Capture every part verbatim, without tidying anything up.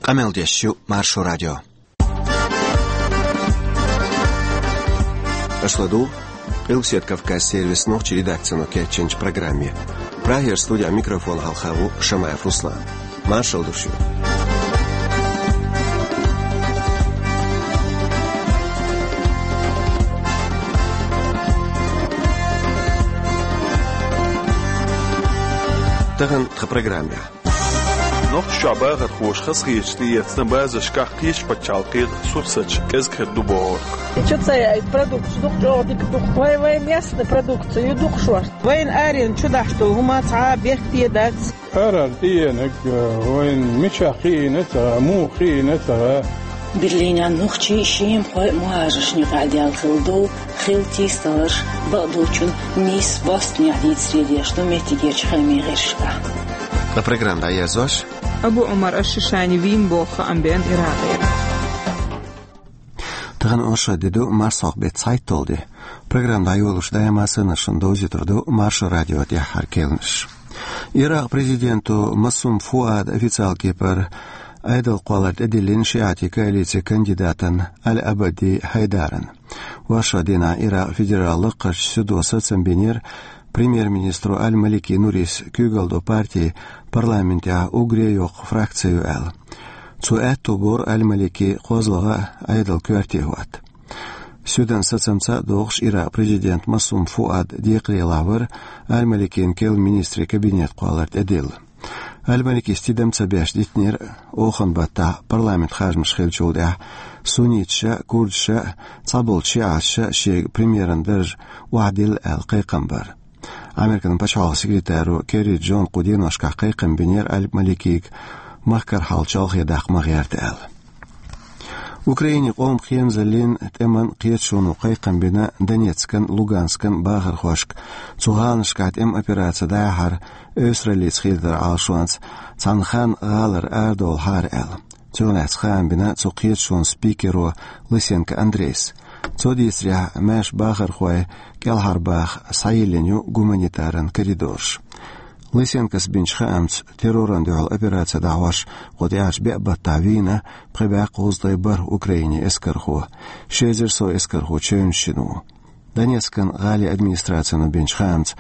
Къамел деш ю Маршо радио. Аша ладугӀу Къилбаседа Кавказ сервисан нохчийн редакцино кечйинчу программе. Прагера студехь микрофон хьалха ву Шамаев Руслан. Маршалла ду шуьга. Тахана тхан программехь. Нохчийчохь бахархоша хазахеташ тӀеэцна базаршкахь кхечу пачхьалкхийн сурсаташ кӀезиг хир ду бохург. И чу ца яйта продукция дукха чӀогӀа дика ду. Вай, вай местный продукция ю дукха шорта. Вайна аренна чу дахьаш долу хӀума цхьа а бехке дац. Арара тӀеенарг, вайна мичахь кхиийна ца гӀа, муха кхиийна ца гӀа. Берлинехь нохчий, шемахой а мухӀажаршна юкъахь даьлла хилла ду. Хилла тийсаларш бакъдолчун нийса Бостонехь дийцаре деш ду меттигерчу хаамийн гӀирсашкахь. Ткъа программа дӀаерзош: Абу Ӏумар аш-Шишани вийна боху хаам беана Иракъера. Тахана оршот де ду, марсхьокху беттан цхьайтталгӀа де. Программа дӀайолош даима санна шуна довзуьйтур ду Маршо радион тӀаьххьара керланаш. Иракъан президенто Масум Фуад официалан кепара Ӏедалан кхоллар тӀедиллина шиӀитийн коалицин кандидатана Аль-Абади Хьайдарана. Оршотан дийнахь Иракъан федералан лакхарчу судо сацам бинера, премьер-министро Аль-Малики Нурис куьйгалла долу парти парламентехь уггаре а йоккха фракци ю аьлла. Цо аьтто бора Аль-Малики кхозлагӀа а, Ӏедалан коьрте а хӀотта. Суьдан сацамца а догӀуш, Иракъан президент Масум Фуад декхарийлахь вара Аль-Маликина керла министрийн кабинетан кхоллар тӀедилла. Аль-Маликис тидам ца беш дитинера оханан баттахь парламентан харжамаш хиллачул тӀаьхьа сунниташа а, курдаша а, цхьаболчу шиӀаташа а шега премьеран дарж охьадилла аьлла кхайкхам бар. Американ пачхьалкхан секретаро Керри Джона кху деношкахь кхайкхам бинера Аль-Маликига махкара хьал чолхе даккха ма гӀерта аьлла. Украинин къоман кхерамазаллин тӀеман кхеташоно кхайкхам бина Донецкан, Луганскан бахархошка цу гӀаланашкахь тӀеман операци дӀаяхьар эвсараллица хетаран Ӏалашонца цхьана ханна гӀалара арадовлахьара аьлла. Цунах лаьцна хаам бина цу кхеташонан спикеро Лысенко Андрейс. Цо дийцарехь, маьрша бахархой кӀелхьарбаха схьайиллина ю гуманитаран коридораш. Лысенкос бинчу хаамца, террорна дуьхьал операци дӀахьош кху тӀаьхьарчу беа баттахь вийна пхи бӀе кхузткъе бархӀ Украинин эскархо, ши эзар сов эскархо чевнаш йина ву. Донецкан гӀалин администрацино бинчу хаамца,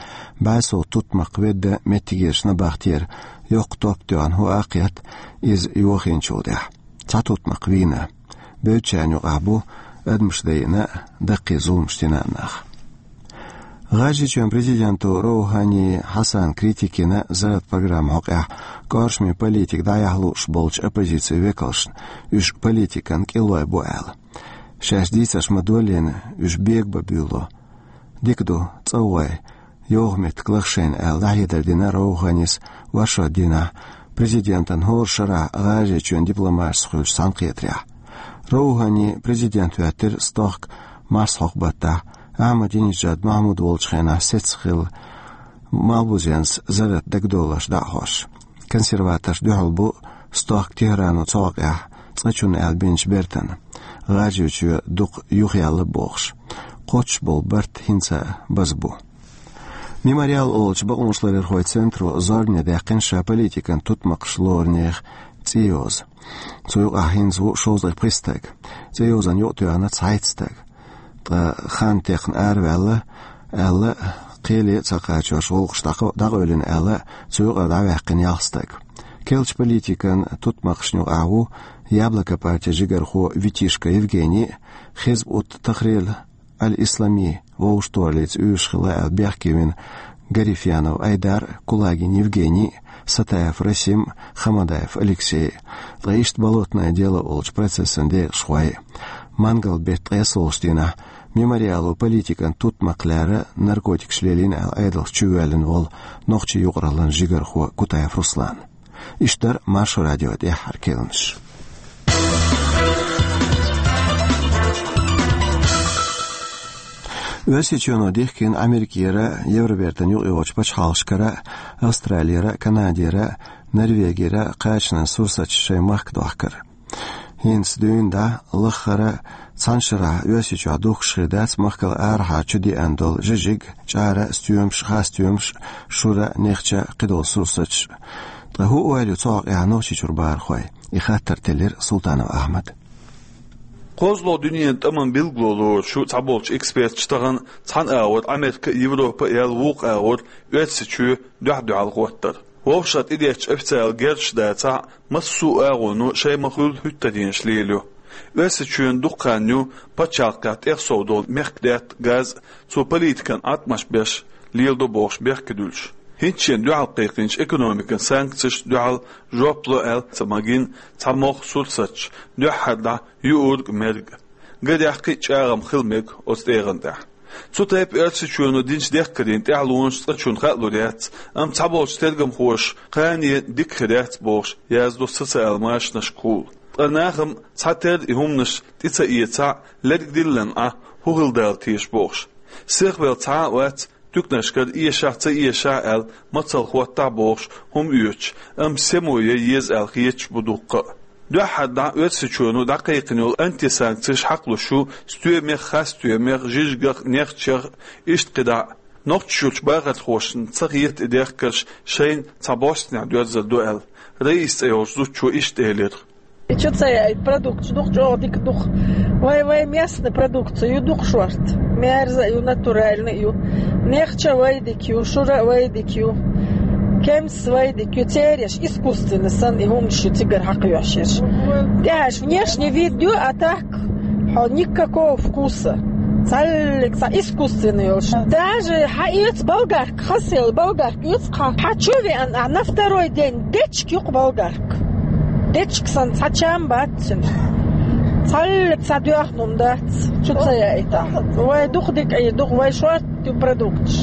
бӀе сов тутмакх ведда меттигерчу набахтера йоккха топ тоьхна хӀоа а кхетта, иза йохийначул тӀаьхьа. Цхьа тутмакх вийна. Бевддачарна юкъахь бу адамаш дайина а, даккхий зуламаш дина а нах. ГӀажарийчоьнан президенто Роухани Хьасана критика йина зарратан программан хьокъехь кӀоршаме политика дӀаяхьа лууш болчу оппозицин векалшна, уьш политикан кӀиллой бу аьлла. Шаьш дийцарш ма-доллийна, уьш бегабан буьйло. Дика ду, цӀа гӀой, йовха меттиг лаха шайна аьлла, дӀахьедар дина Роуханис оршотан дийнахь президентан хӀора шарахь ГӀажарийчоьнан дипломаташца хуьлучу цхьаьнакхетарехь. Роухани президент хӀоьттира стохка марсхьокху баттахь, Ахьмадинежад Махьмуд волчу хенахь сецна хилла Малбузенца зарратан дагадовларш дӀа а хьош. Консерваторш дуьхьал бу стохка Техрано цу хьокъехь цкъачунна аьлла бинчу бертана, ГӀажарийчоь дукха юхаяьлла бохуш. Кхоччуш болу барт хӀинца а база бу. Мемориал олучу бакъонашларъярхойн центро зорбане даьккхина ша политикан тутмакхаш лору нехан цӀе йоза. Цу юкъахь хӀинца ву шовзткъе пхи стаг. ЦӀе йозанна юкъатоьхна цхьайтта стаг. Ткъа хан техна араваьлла аьлла, кхеле а ца кхачош гӀуллакхаш дӀакъо-, дӀакъевлина аьлла, цу юкъара дӀаваьккхина ялх стаг. Керлачу политикан тутмакхашна юкъахь ву Яблоко партин жигархо Витишко Евгений, Хизб ут-Тахрир аль-Ислами вовшахтохараллица уьйраш хилла аьлла бехке вина Гарифьянов Айдар, Кулагин Евгений, Сатаев Расим, Хамадаев Алексей, ткъа иштта Болотное дело олучу процессан декъашхой. Мангал-беттан ткъессолгӀачу дийнахь Мемориало политикан тутмакх лерина, наркотикаш лелийна аьлла Ӏедалх чувоьллина волу нохчийн юкъараллин жигархо Кутаев Руслан. Иштта дара Маршо радион тӀаьххьара керланаш. Оьрсийчоьно дихкина Америкера, Евробертан юкъайогӀучу пачхьалкхашкара, Австралера, Канадера, Норвегера кхачанан сурсаташ шайн махка дохкар. ХӀинца дуьйна дӀа лаххара цхьана шарахь Оьрсийчохь духкуш хир дац махкал арахьара чу деана долу жижиг, чӀара, стоьмаш, хасстоьмаш, шура, нехча, кхидолу сурсаташ. Ткъа хӀун ойла ю цу хьокъехь Нохчийчуьра бахархойн? И хаттар теллира Султанов Ахьмада. КхозлагӀа дуьненан тӀаман билгало лоруш ю цхьаболчу эксперташа тахана цхьана агӀор Америка а, Европа а яьлла, вукху агӀор Оьрсийчоь дуьхь-дуьхьал хӀоттар. Вовшах тӀедеттачу официалан герзаш дацахь а, массо а агӀоно шайн ма-хуьллу хӀуьттаренаш лелайо. Оьрсийчоьнан дукха хан ю пачхьалкхехь тӀех сов долу мехкдаьтта газ а, цо политикан Ӏаткъамаш беш леладо бохуш бехке дуьллуш. ХӀинца шена дуьхьал кхайкхийначу экономикан санкцешна дуьхьал жоп ло аьлла ца магийна цхьа могӀа сурсаташ, дуьххьара дӀа юург а, мерг а. Гарехь, кхин а чӀагӀам хила мега оцу тӀегӀан тӀехь. Цу тайпа Оьрсийчоьно динчу дехкарийн тӀаьхьалонаш цкъачунна хаалур яц, амма цхьаболчу тергамхоша кхане дика хир яц бохуш яздо социалан машанашкахула. Ткъа нахана цхьатерра и хӀуманаш тӀе ца эцахь а, лерг диллина Ӏа хӀун хила дала теша бохуш. Сихвелла цхьа а вац, туьканашкара эшахь а, ца эшахь а аьлла, мацалла хӀоттахь а бохуш хӀума оьцуш, амма сема ян еза аьлла хеташ бу дуккха а. Дуьххьара дӀа Оьрсийчоьно дӀакхайкхина йолу антисанкцеш хьакхалуш ю стоьмех, хасстоьмех, жижигах, нехчех, иштта кхидӀа а. Нохчийчуьрчу бахархошна ца хета и дехкарш шайна цхьа бӀостанехь доьрзур ду аьлла. Раиса цӀе йолчу зудчо иштта элира: И чу ца яийта продукташ дукха чӀогӀа дика дукха. Вай, вай местный продукция ю дукха шорта. Мерза а ю, натуральный а ю. Нехча а вай дика ю, шура а вай дика ю. Кемс вай дика ю. Цереш искусственный санна и хӀуманаш ю цигара хьакхоьхьуш ерш. ТӀехь аша внешний вид ю, а так хьо никакого вкуса. Цхьаллиг цхьа искусственный йолуш. Даже хьаэца болгарка, хасел болгарка оьцу хьан. Хьан чу веана, а на второй день дечка юкъа болгарка. Дечка санна цхьа чам бац цуьнан. Цхьаллиг цхьа доьхна хӀума дац, чу ца яийта. Вай дукха дика а ю, дукха вай шорта ю продукташ.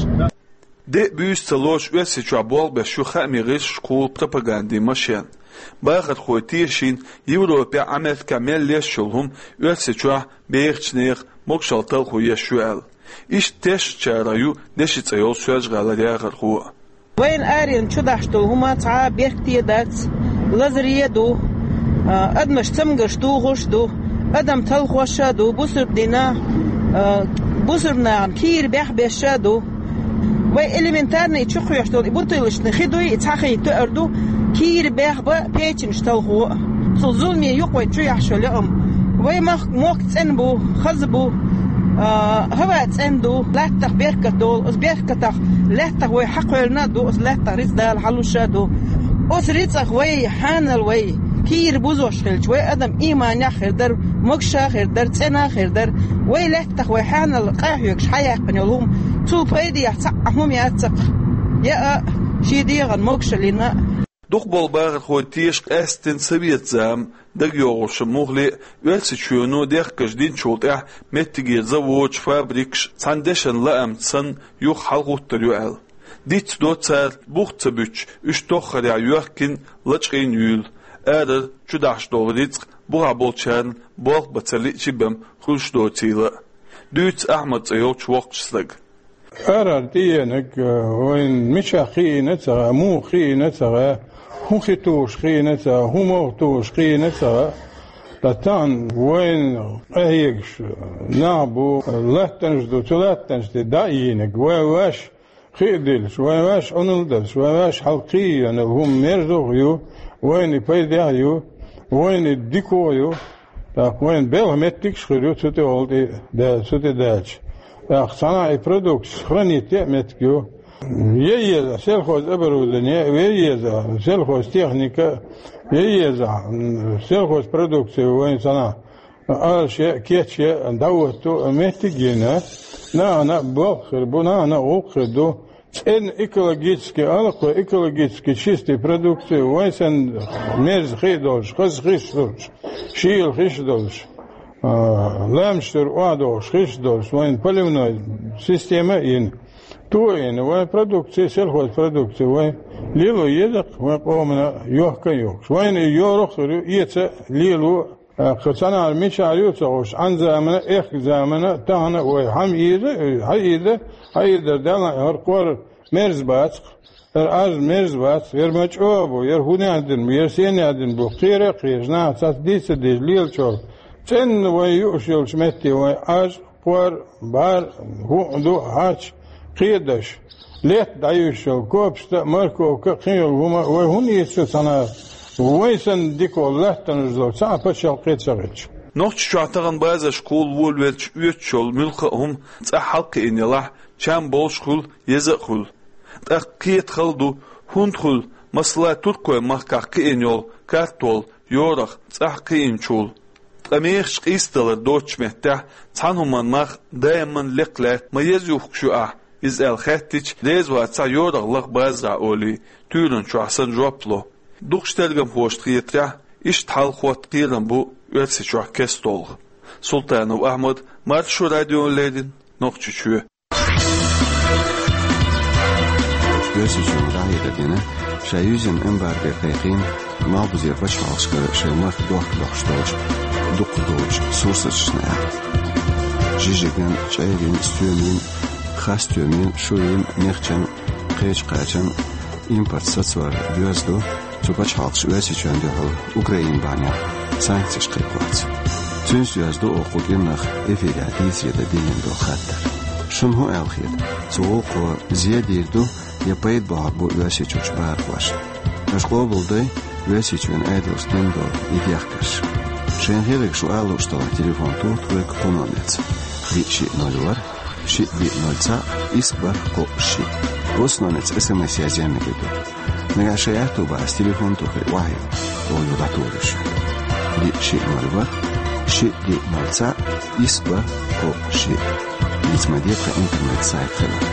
Де а, буьйса а ца лоруш Оьрсийчохь болх беш ю хаамийн гӀирсашкахула пропагандин машен. Бахархой тешийна, Европехь а, Америкехь а мел леш йолу хӀума Оьрсийчохь бехачу нехан могушалла талхо еш ю аьлла. Иштта тешначарах ю Деши цӀе йолу Соьлжа-ГӀалара яхархо а. Вайна аренна чу дахьаш долу хӀума цхьа а беркате дац, лазаре а ду, а, адамаш цамгарш тухуш а ду, адам талхош а ду, бусурба дина, а, бусурба нахана кийра бехбеш а ду. Вай элементарный чу кхоьхьуш долу и бутылочный хи дуй, и цхьа хи тоьар ду, кийра бехба, печенаш талхо а. Цу зуламе юкъа вай чу яхьаш йолу яа ма. Вай мах-, мохк цӀена бу, хаза бу, а, хӀаваъ цӀена ду, лаьттах беркат долу, оцу беркатах лаьттах вай хьакхоьллина а ду, оцу лаьттах рицкъ Дала хьалуш а ду. Оцу рицкъах вай хьанал вай кийра бузош хилча, вай адам ийманехь а хир дара, могуш а хир дара, цӀена а хир дара. Вай лаьттах вай хьанал къахьоьгуш хьаяьккхина йолу хӀума, цул пайдехь цхьа а хӀума яц-кх. Яа а, шен дегӀан могушаллина а. Дукхахболу бахархой теша къаьсттина совет зама дагайогӀуш муххале а, Оьрсийчоьно дехкарш динчул тӀаьхьа меттигера заводаш, фабрикаш цхьана дешан лаамца санна юха хьалахӀуттур ю аьлла. Дицдо цара, бух ца буьтуш, уьш тоххарехь йоьхкина, лачкъийна юйла. Арара чу дахьаш долу рицкъ бухахь болчарна болх бан ца лиъчи бен хуьлуш доцийла а. Дуьйцу Ахьмад цӀе йолчу воккхачу стага. Арара тӀеенарг, э, вайна мичахь кхиийна а ца хаьа, муха кхиийна а ца хаьа, хӀун хи тухуш кхиийна а ца хаьа, хӀун могӀа тухуш кхиийна а ца хаьа. Ткъа тахана вайна къахьегаш нах бу, латтанаш ду, цу латтанаш тӀе дӀа а йийнарг, вай ваьш хи а диллаш, вай ваьш Ӏуналла а далаш, вай ваьш хьалкхиийна хӀума мерза а ю, вайна и пайдехь а ю, вайна и дика а ю. ТӀаккха вайна белхан меттигаш а хир ю цу тӀехула тӀе да-, цу тӀе даьлча. ТӀаккха цхьана и продукция хранить ян а меттиг ю. Ян еза сельхоз оборудование, ян еза сельхоз техника, ян еза, м, сельхоз продукция вайна цхьана Ӏалашъян а, кечъян а дӀахӀотто меттиг а йина, нахана а болх хир бу, нахана а гӀуллакх хир ду. ЦӀена экологически, алакхой экологически чистый продукция, вайн санна мерза хи а долуш, хаза хиш а долуш, шийла хиш а долуш, а, лаьмнаш тӀера охьадогӀуш хиш а долуш, вайн поливной система а йина, то а йина, вайн продукция, сельхозпродукция вайн лело еза-кх вайн къомана йохка а йохкуш. Вайна и йорах а хир ю, эца а, лело а. ТӀаккха цхьанхьара мичара ю а ца хууш, Ӏан замана, эхкан замана, тахана а вай хьан ийза, хьан ийза, хьан ийза дара Далла, хӀара кхор мерза бац-кх, хӀара Ӏаж мерза бац, хӀара ма чӀогӀа бу, хӀара хӀунех дина бу, хӀара сенех дина бу, кхера а кхераш, наха цхьацца дийца а дийца лела чӀогӀа. ЦӀена вай юуш йолчу метте вай Ӏаж, кхор, бӀар, хӀуъа ду, хьач, кхедаш. Летта дӀаюьйш йолу копашта а, морковка а, кхин йолу хӀума а вай хӀунда эца шу цхьана? Вай санна дика волу латтанаш долу цхьа а пачхьалкх ца хилча. Нохчийчохь тахана базаршкахула волавелча оьцуш йолу муьлхха а хӀума цӀахь хьалакхиъна елахь, чам болуш а хуьлу, еза а хуьлу. ТӀаккха кхета хала ду, хӀунда хуьлу, масала, Туркойн махкахь кхиъна йолу картол, йорах цӀахь кхиъначул. Ткъа мехаш къийсадалар доцучу меттехь цхьана хӀуманна мах даиман лекха лаьтта ма еза юхкуш ю ахь, иза аьлла хаьттича, реза вацахь йорах лаха базарахь олий, туьйранна чохь санна жоп ло. Дукхачу тергамхошна хетарехь, иштта хьал хотта кхерам бу Оьрсийчохь кестта олу. Султанов Ахьмад, Маршо радиона леррина, Нохчийчоь. Оьрсийчоьнга дӀахьедар дина, ша юьззина эмбарго кхайкхийна, малхбузера пачхьалкхашкара шайн махка дохка дохуш долчу дукхах долчу сурсаташна аьлла. Жижиган, чӀерийн, стоьмийн, хасстоьмийн, шуйийн, нехчан, кхечу кхачан импорт сацор доьзна ду, цу пачхьалкхаша Оьрсийчоьнна дуьхьал Украина бахьанехь санкцеш кхайкхорца. Цуьнца доьзна ду оха кху кӀиранах эфирехь дийцаре дан диллина долу хаттар. Шуна хӀун аьлла хета, цу гӀуллакхо зе дийр ду я пайда бохург бу Оьрсийчуьрчу бахархошна? Аша къобалдой Оьрсийчоьнан Ӏедалшна дина долу и дехкарш. Шайна хетарг шу ала лууш делахь, телефон тоха тхоьга кху номерца: диъ шиъ ноль ворхӀ, шиъ диъ ноль цхьаъ, исс бархӀ кхоъ шиъ. Оцу номерца СМС язъян мегар ду. Нагахь шайн аьтту бахьа телефон тухий охьайилла, оха юха дӀатухур ю шуна. Диъ шиъ ноль ворхӀ, шиъ диъ ноль цхьаъ, исс бархӀ кхоъ шиъ. Дийца ма де тхан интернет-сайт хилар: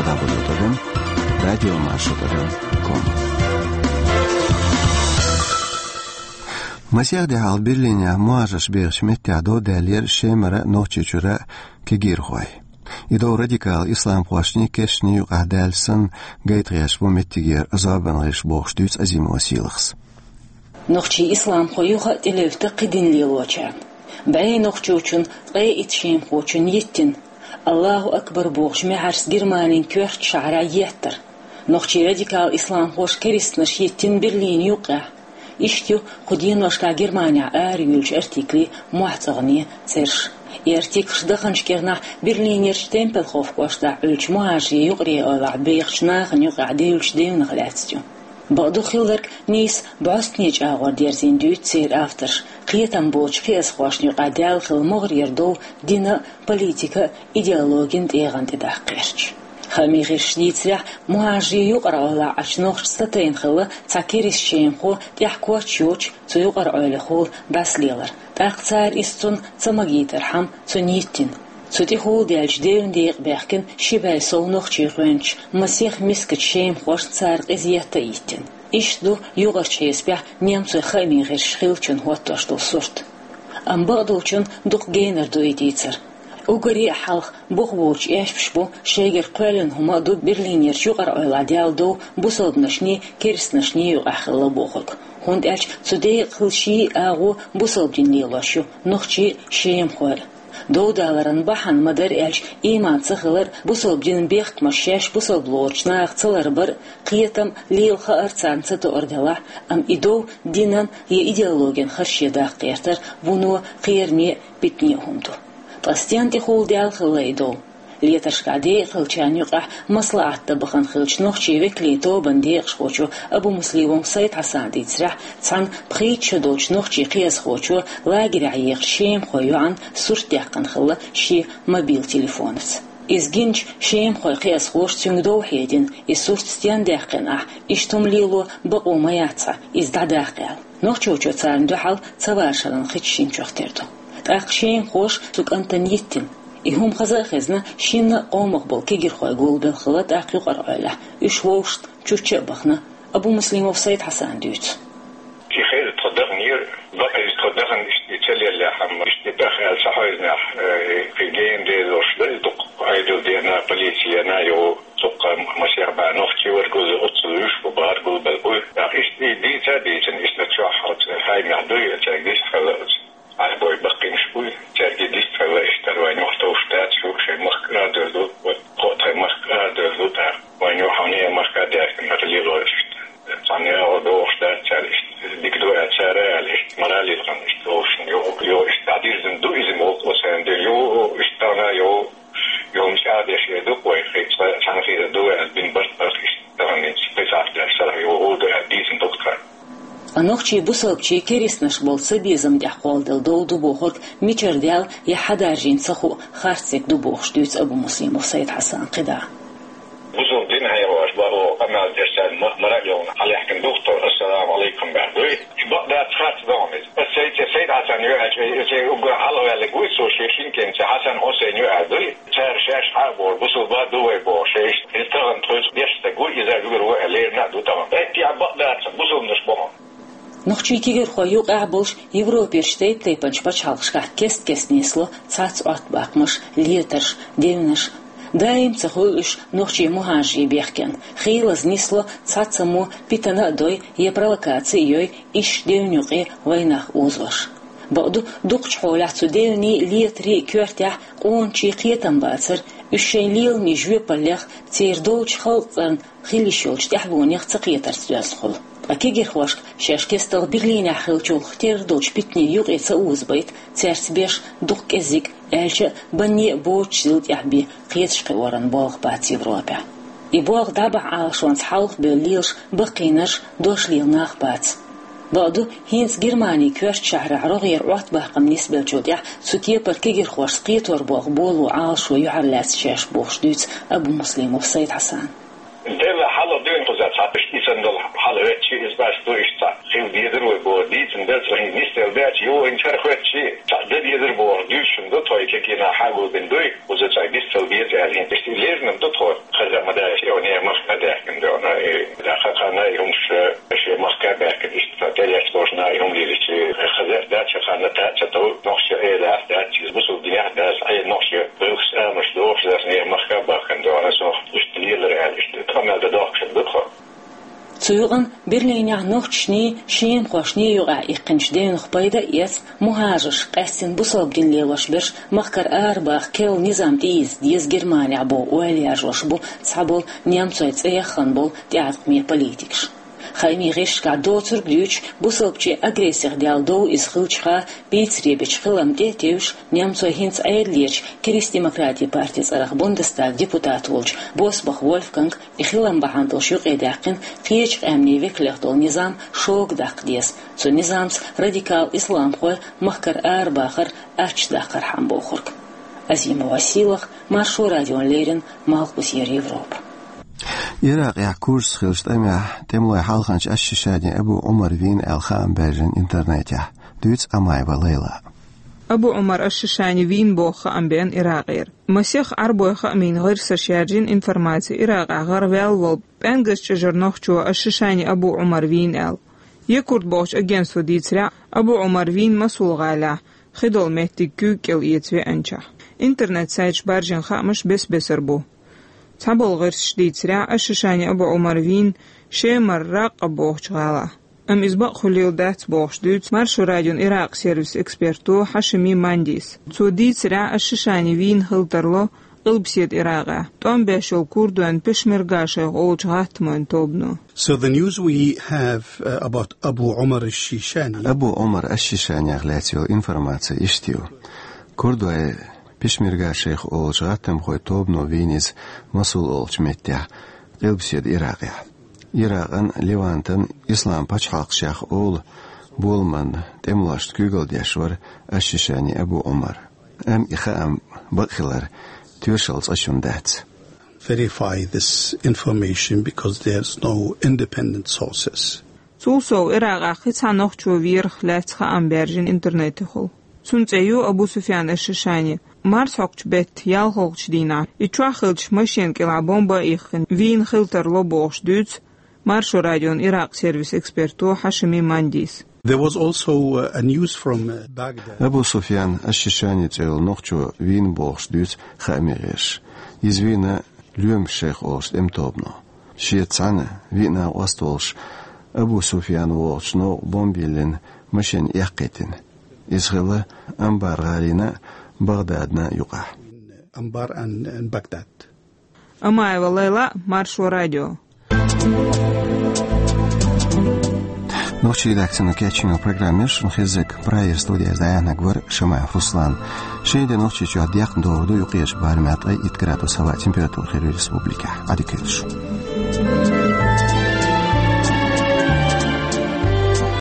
дабл ю дабл ю дабл ю точка радио маршо точка ком. Масех де хьалха Берлинехь мухӀажарш бехачу меттехь дов даьллера Шемара, Нохчийчуьра кегийрхой. И дов радикал исламхошний, керстанний юкъахь даьлча санна, гайтахьеш бу меттигера зорбанан гӀирсаша бохуш, дуьйцу Азимова Сийлахьас. Нохчийн исламхой юха а тӀелевта кхин дин лелочарна. БӀе нохчочун ткъе итт шемахочун йиттина, «Аллаху акбар» бохучу маьхьарца Германин коьртачу шахьарехь еттар. Нохчийн радикал исламхоша керстанаш йиттина Берлинан юккъехь. Иштта ю кху деношкахь Германехь араюьйлучу артиклийн мохь цӀогӀане цӀераш. И артиклаш даханчу кӀирнахь Берлинерчу Темпельхоф кӀоштахь Ӏуьллучу мухӀажарийн юкъараллин эвлахь бехачу нахана юкъахь девллачу девнах лаьцна ю. Бакъду, хилларг нийса бӀостанехьа чӀагӀор дерзийна, дуьйцу церан авторша, кхетам боцучу кхиазхошна юкъахь даьлла хилла могӀарера дов динан а, политикан а идеологин тӀегӀан тӀе даккха гӀерташ. Хаамийн гӀирсаша дийцарехь, мухӀажарийн юкъараллехь Ӏачу нохчашца сатайна хилла цхьа керста шемахо тӀехь коч йоцуш цу юкъараллехула дӀасалелар. ТӀаккха цара иза цунна ца магийтархьама, цунна йиттина. Цу тӀехула даьллачу девнан декъе баьхкина ши бӀе сов нохчий гӀоьнчу масех мискачу шемахошна цара къиза етта а йиттина. Иштта ду юкъарчу хьесапехь немцойн хаамийн гӀирсаша хиллачун хӀоттош долу сурт. Амма бакъдолчунна дукха генара ду и дийцар. Уггаре а хьалха бух боцуш эшпаш бу, шайгара кхоьллина хӀума а ду Берлинерчу юкъараллехь даьлла дов бусалбанашний, керстанашний юкъахь хилла бохург. ХӀунда аьлча цу декъехула ший а агӀо бусалба дин лелош ю нохчий а, шемахой а. Дов даларан бахьана ма-дарра аьлча, ийман ца хилар, бусалба динан бехкамаш шаьш бусалба лоручу наха ца ларбар а, кхетам а, лела хаар а царна ца тоъар делахь а, амма и дов динан я идеологин харше даккха гӀертар вуно кхераме а, питане а хӀума ду. Ткъа стенна тӀехула даьлла хилла и дов? Летаршкахь декъахилчарна юкъахь маслаӀат дан бахана хиллачу нохчийн векалийн тобанан декъашхочо Абумуслимов Сайд-Хьасана дийцарехь, цхьана пхийтта шо долчу нохчийн кхиазхочо лагерехь ехачу шемахойн йоӀана сурт даьккхина хилла шен мобил телефонаца. Иза гиначу шемахойн кхиазхоша цуьнга дов хьедина, и сурт стенна даьккхина ахь, иштта хӀума лело бакъо ма яц хьан, иза дӀадаккха аьлла. Нохчочо царна дуьхьал ца вашаран хи чу шина чохь тера ду. ТӀаккха шемахоша цу кӀантана йиттина. И хӀума хаза а хезна, шинна а къомах болу кегийрхой гулбелла хилла тӀаккха юкъараллехь, уьш вовшашна чучча а бахана, Абумуслимов Сайд-Хьасана дуьйцу. И хеза тхо даханера, бакъ иза тхо дахана иштта и ца леллехь-м, иштта и тӀехь аьлла ца хьевзинехь, э, кхин гена дезалш ду иза дукха, Ӏедал деана, полици еана, йо, цуккха масех бӀе нохчий вара гулбелла, оццул уьш бу бахара гулбелла бу. ТӀаккха иштта и дийца а дийцина, иштта чохь оцу хаамехь ду и, цаьрга дистхилла оцу. Ӏарбой баккхийнаш буй, цаьрга дистхилла, иштта вайн юхь товш дац, шу шайн махка арадевлла ду, вот, кхо тхайн махка арадевлла ду, тӀаккха вайн юхь хьуна махка а даьхкина, хӀара лело иштта. Цхьана агӀор дохуш дац цара, иштта дика ду аьлла цара аьлла, иштта мораль йилхина, иштта вовшашна, йо, йо, иштта дӀадирзина ду иза, ма вукхо сайн дира, йо, иштта тахана, йо, йо, мича а деш эр ду-кх вай, хи, цхьа, цхьана хи ду аьлла, дин Нохчий бусалбчий керистанаш болу цабезам тӀехь кхолладелла дов ду бохург мичара даьлла я хьадаржийна ца хуу харцдерг ду бохуш дуьйцу Абумуслимов Сайд-Хьасана кхидӀа. Бусалба дин хьехош баха къамел деш царна ма-, мара а йолна хьалаьхкина дух тхо, ассаламу алайкум баьхна дуй. И бакъ дац харц догӀу иза. Аса цайца Сайд-Хьасан ю аьлча, и цай уггар хьалаваьллиг вуй цо шен шинкенца Хьасан Хьусайн ю аьлла дуй. Цара шаьш хьа а бохуш, бусалба ду вай бохуш, шаьш иза тахана тхоьца деш стаг ву, иза уггар ву аьлла лерина а ду тахана. ХӀетте а бакъ дац, бусалбанаш боху. Нохчий кегирхой юкъахь болуш Европерчу тайп-тайпанчу пачхьалкхашкахь кест-кеста нисло цхьацца Ӏоттабаккхамаш, летарш, девнаш. Даим ца хуьлу уьш нохчий мухӀажарийн бехкенна. Хийлаза нисло цхьаццаммо питана а дой, я провокаци а йой, иштта девнна юкъе вайнах озош. Бакъду, дукхачу хьолехь цу девнийн, летарийн коьртехь къоначийн кхетам бацара, уьш шайн леламийн жоьпаллех, церан долчу халкъан цӀарна хила йиш йолчу тӀаьхьалонех ца кхетарца доьзна хуьлу. Ткъа кегирхошка шаьш кестта Берлинехь хиллачул терра долчу питанийн юкъе ца озабайта, цаьрца беш дукха кӀеззиг, аьлча а, банне а боцуш зил тӀехь бен кхеташ кхиоран болх бац Европехь. И болх дӀабахьа Ӏалашонца хьалха бевлла лелаш баккхийнарш, дош лела нах бац. Бакъду, хӀинца Германин коьртачу шахьарахь рогӀера Ӏоттабаккхам нисбеллачул тӀаьхьа цу кепара кегирхошца кхетор болх боло Ӏалашо юьхьарлаьцна шаьш бохуш дуьйцу Абумуслимов Сайд-Хьасана. Делла хьалха дуьйна кхуза цхьа иштта санна долу хьал хӀоьттича, иза баш ду иштта цхьа. Хила дезар вай боху, дийцина дара цо, хӀинца нисделла даьлча, юха хӀинца хӀара хӀоьттича, цхьа дан дезар боху, дуьйцуш ду тхо, и кегийнах хьагулбина дуй, кхуза цхьа нисдала деза аьлла, хӀинца иштта лерина ду тхо, хаза ма даьлча, и нехан махка а даьхкина дуьйна, и да кхана и хӀумаш, э, шен махка а баьхкина, иштта цхьа тӀелаьцна болуш нах и хӀума лелийча, хаза дац, хаза ханна таца тов, нохча элахь дац, иза бусулба динехь дац, хье нохча гӀиллакхаш, амалш дохуш дац, нехан махка а баьхкина дуьйна, со иштта лелар аьлла, иштта къамел дан дохкуш ду тхо. Цу юкъана Берлинехь нохчашний, шемахошний юкъахь иккхинчу девнах пайда а эцна, мухӀажарш, къаьстина бусалба дин лелош берш махкара арабаха керла низам тӀеийца деза Германехь боху ойла яржош бу цхьаболу немцойн цӀе яххана болу тӀеӀаткъаме политикаш. Хаамийн гӀирсашкахь доцург дуьйцуш, бусалбачийн агрессих даьлла дов иза хилча, пицаре бечу хилам тӀе а тевжаш, немцойн хӀинца Ӏедалерчу Кристдемократийн партин цӀарах Бундестаган депутат волчу Босбах Вольфганга и хилам бахьана долуш юкъедаьккхина кхечу къаьмнийн векалех долу низам шога даккха деза, цу низамца радикал исламхой махкара арабахар ачча даккхархьама бохург. Азимова Силах, Маршо радиона леррина, Малхбузера Европа. Иракъехь курдашца хиллачу тӀамехь тӀемалойн хьалханча аш-Шишани Абу Ӏумар вийна аьлла хаам баьржина интернетехь, дуьйцу Амаева Лайла. Абу Ӏумар аш-Шишани вийна боху хаам беана Иракъера. Масех Ӏарбойн хаамийн гӀирсаша яржийна информаци Иракъехь гӀараваьлла волу пӀенгазчӀожара нохчо аш-Шишани Абу Ӏумар вийна аьлла. Якурт бохучу агентствон дийцарехь, Абу Ӏумар вийна Масул гӀалахь, хи долу меттиг куьйга кӀел эца веанчохь. Интернет-сайташа баржийна хаамаш бес-бесара бу. Цхьаболу гӀирсаша дийцарехь, аш-Шишани Абу Ӏумар вийна Шемара Раккъа бохучу гӀалахь. Амма иза бакъ хуьлийла дац бохуш дуьйцу Маршо радион Иракъ сервисан эксперто Хьашими Мандис. Цо дийцарехь, аш-Шишани вийна хила тарло Къилбаседа Иракъехь, тӀом беш йолу курдойн Пешмерга шайх олучу гӀаттамойн тобано. So the news we have, uh, about Abu Umar al-Shishani. Абу Ӏумар аш-Шишанех лаьцна йолу информаци иштта ю. Курдойн Пешмерга шайх олучу гӀаттамхойн тобано вийна иза Масул олучу меттехь, Къилбаседа Иракъехь. Иракъан, Левантан ислам пачхьалкхашех олу боламан тӀемалошна куьйгалла деш вара аш-Шишани Абу Ӏумар. Амма и хаам бакъ хилар тоьшалла цкъачунна дац. Verify this information because there's no independent sources. Цул сов, Иракъехь кхин цхьа нохчо верах лаьцна хаам баьржина интернетехула. Цуьнан цӀе ю Абу Суфьян аш-Шишани. Марсхьокхучу беттан ялхалгӀачу дийнахь, и чохь хиллачу машенан кӀелахь бомба а иххина, вийна хила тарло бохуш дуьйцу Маршо радион Иракъ сервисан эксперто Хьашими Мандис. There was also, uh, a news from, uh, Baghdad. Абу Суфьян аш-Шишани цӀе йолу нохчо вийна бохуш дуьйцу хаамийн гӀирсаша. Иза вийна Лоьмаш шайх олучу тӀеман тобано. Шеца цхьаьна виъ накъост волуш, Абу Суфьян вогӀучу новкъа бомба йиллина машен эккхийтина. Иза хилла Амбар гӀалина а, Багъдадна а юкъахь. Ambar and, and Baghdad. Амаева Лайла, Маршо радио. Нохчийн редакцино кечйина программа яра шуна хезнарг, прагера студехь дӀаяьхьнарг вара Шамаев Руслан. Шина де Нохчийчохь декъна догӀур ду, юккъерчу барамехь ткъе итт градус хӀаваан температура хир ю республикехь. Ӏадика йойла шун.